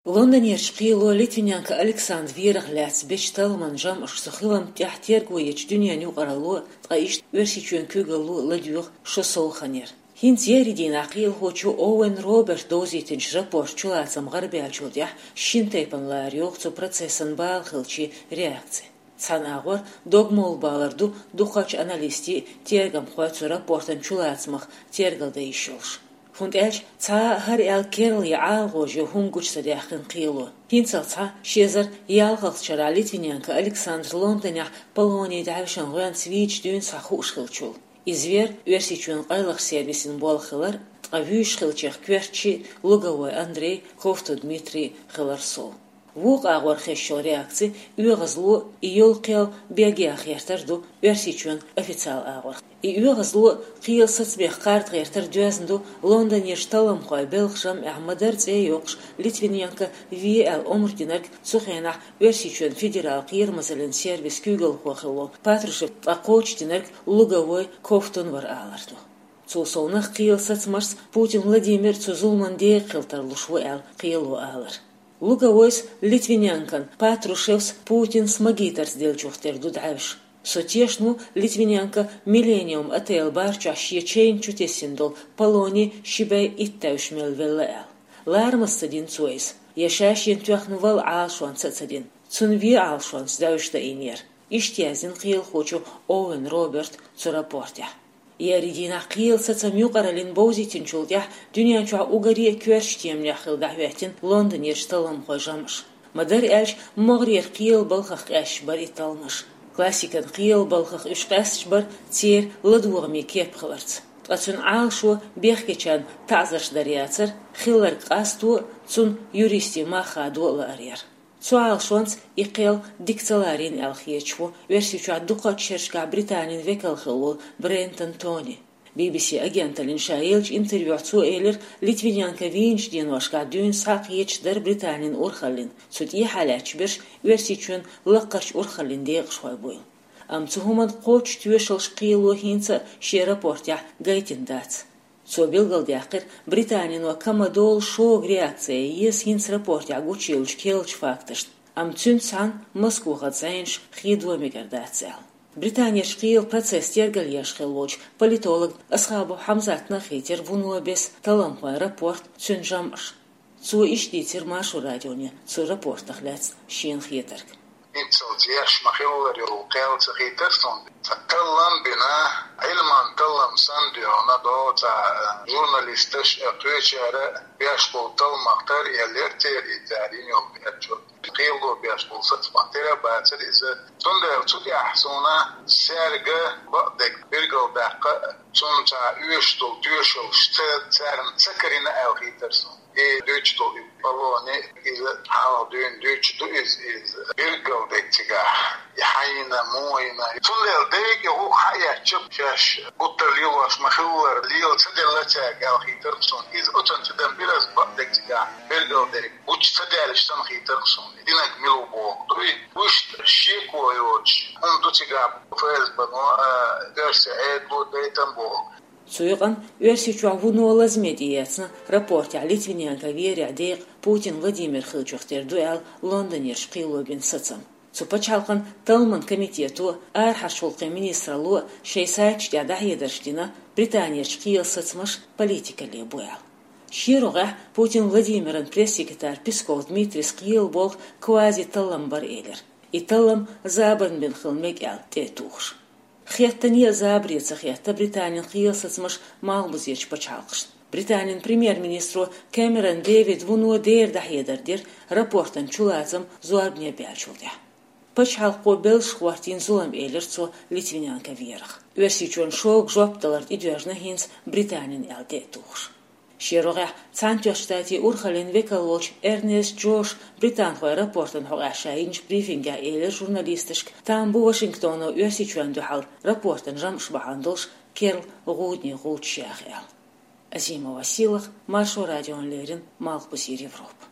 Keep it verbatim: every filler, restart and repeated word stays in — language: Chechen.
Лондонерчу кхело Литвиненко Александр верах лаьцна бечу талламан жамӀаш цу хиламна тӀехь терго ечу дуьненан юкъаралло, ткъа иштта Оьрсийчоьнан куьйгалло ладоьгӀу шо совгӀатера. ХӀинца еарин дийнахь кхелахочо Оуэн Роберта довзийтинчу рапортан чулацам гӀарабаьллачул тӀаьхьа шина тайпана лара йогӀу цу процессан бала хиллачийн реакци. Цхьана агӀор догмалла балар ду дукхачу аналистийн, тергамхойн цу рапортан чулацамах тергалдан йиш йолуш. ХӀунда аьлча цхьа а хӀара аьлла керла я ӀалагӀожа йо хӀума гучу ца даьккхина кхело. ХӀинццалц схьа ши эзар ялхалгӀачу шарахь Литвиненко Александр Лондонехь Полони дӀаьвшина гӀоьнца вийча дуьйна схьа хууш хиллачул. Иза веара Оьрсийчоьнан къайлахчу сервисийн болх хилар, ткъа вуьйш хиллачех коьртачий Луговой Андрей, Ковтун Дмитрий хилар сов. Вукху агӀор хезаш йолу реакци оьгӀазло, и йолу кхел бегех гӀертар ду Оьрсийчоьнан официалан агӀор. И оьгӀазло кхелан сацамех кхарда гӀертар доьзна ду Лондонерчу талламхойн белхан жамӀехь ма-дарра цӀе а йоккхуш Литвиненко ве аьлла омра динарг цу хенахь Оьрсийчоьнан федералан кхерамазаллин сервисан куьйгалхо хилла волу Патрушев, ткъа кхочушдинарг Луговой Ковтун вара алар ду. Цул совнаха кхелан сацамашца Путин Владимир цу зуламан декъа хила тарлуш ву аьлла кхело алар. Луговойс Литвиненкос, Патрушевс Путинс магийрхошца деллачух тера ду дӀаьвша. Со тешна ву Литвиненко Миллениум отелан бар чохь шен чайна чу тесна долу Полони ши бӀе итт тевжаш мел велла аьлла. Ларамаза ца дина цо иза, я ша шена тоьхна валла Ӏалашонца а ца дина. Цунна вен Ӏалашонца дӀаьвша даийнера. Иштта яздина кхелахочо Оуэн Роберта цу рапортехь. Еарин дийнахь кхелан сацам юкъараллин бовзийтинчул тӀаьхьа дуьнен чохь уггаре а коьртачу теманех хилла дӀахӀоьттина Лондонерчу талламхойн жамӀаш. Ма-дарра аьлча, могӀарера кхелан балхах къаьсташ бара и талламаш. Классикан кхелан балхах уьш къаьсташ бара церан ладогӀаме кеп хиларца. Ткъа цуьнан Ӏалашо бехкечарна таӀзарш дар яцара, хилларг къасто а, цунна юристийн мах хадо а лаар яра. Цу Ӏалашонца и кхел дика ца ларийна аьлла хеташ ву Оьрсийчохь дукхачу шерашкахь Британин векал хилла волу Брентон Тони. Би-би-си агенталлина ша еллачу интервьюхь цо элира, Литвиненко вийначу деношкахь дуьйна схьа а кхеташ дара Британин урхаллина, цу тӀехьа лаьтташ берш Оьрсийчоьнан лаккхарчу урхаллин декъашхой буйла. Амма цу хӀуманна кхоччуш тоьшаллаш кхело хӀинца а шен рапортехь гайтина дац. Цо билгалдаьккхира, Британино ка ма-долу шога реакция еза хӀинца рапортехь гучуйиллачу керлачу факташна, амма цуьнца цхьаьна Москвахаца зӀенаш хедо мегар дац аьлла. Британерчу кхелан процесс тергалъеш хилла волчу политолог Асхабов Хьамзатна а хийтира вуно бесса талламхойн рапорт, цуьнан жамӀаш. Цо иштта дийцира Маршо радионе цу рапортах лаьцна шена хетарг. ХӀинццалц еш ма-хиллара йолу кхел ца хийтира суна. Цхьа таллам бина, Ӏилман таллам санна дуьйна догӀу цхьа журналисташ а, кхечара а беш болу талламах тера а еллера церан и цара йина йолу бечо. Кхело беш болу сацамах тера а бацара иза. Цундела цу тӀехь суна цаьрга бакъдерг билгалдаккха а, цунна цхьа оьшуш долу тоьшаллаш ца, царна ца карийна аьлла хийтира суна. И дуьйцуш долу и Полони, иза хьалха дуьйна дуьйцуш ду иза, иза билггал дерг цигахь. И хьайна, муйна. Цундела дерриг а гӀуллакх хьаэцча, шаьш гуттар лелош ма-хиллара, лела ца делла цаьрга аьлла хийтира суна. Иза оцунна чу дан бира аса бакъдерг цигахь, билггал дерг гучу ца даьлча санна хийтира суна. Динарг мила ву бохург ду и. Вуьшта шеко йоцуш хӀума ду цигахь, ФСБ-но а, оьрсийн Ӏедало дайтина бохург. Цу юкъана Оьрсийчохь вуно лазаме тӀеэцна рапортехь Литвиненко верехь декъа Путин Владимир хиллачух тера ду аьлла Лондонерчу кхело бина сацам. Цу пачхьалкхан талламан комитето, арахьарчу гӀуллакхийн министралло шайн сайташ тӀехь дӀахьедарш дина, Британерчу кхелан сацамаш политикалле бу аьлла. Шен рогӀехь Путин Владимиран пресс-секретарь Песков Дмитрийс кхелан болх квази-таллам бара элира. И таллам забарна бина хила мега аьлла тӀе а тухуш. Хеттане а забаре ца хетта Британин кхелан сацамаш малхбузерчу пачхьалкхашна. Британин премьер-министро Кэмерон Дэвида вуно дера дӀахьедар дира рапортан чулацам зорбане баьллачул тӀаьхьа. Пачхьалкхо белшах хӀоттийна зулам, элира цо Литвиненко верах. Оьрсийчоьнан шога жоп далар тӀедоьжна хӀинца Британин аьлла тӀе а тухуш. Шен рогӀехь Цхьаьнатоьхначу Штатийн урхаллин векал волчу Эрнест Джоша британхойн рапортана хьокъехь ша йинчу брифингехь элира журналисташка, там бу Вашингтоно Оьрсийчоьнна дуьхьал рапортан жамӀаш бахьана долуш керла гӀудане гӀулчаш яха аьлла. Азимова Сийлаха, Маршо радиона леррина, Малхбузера Европа.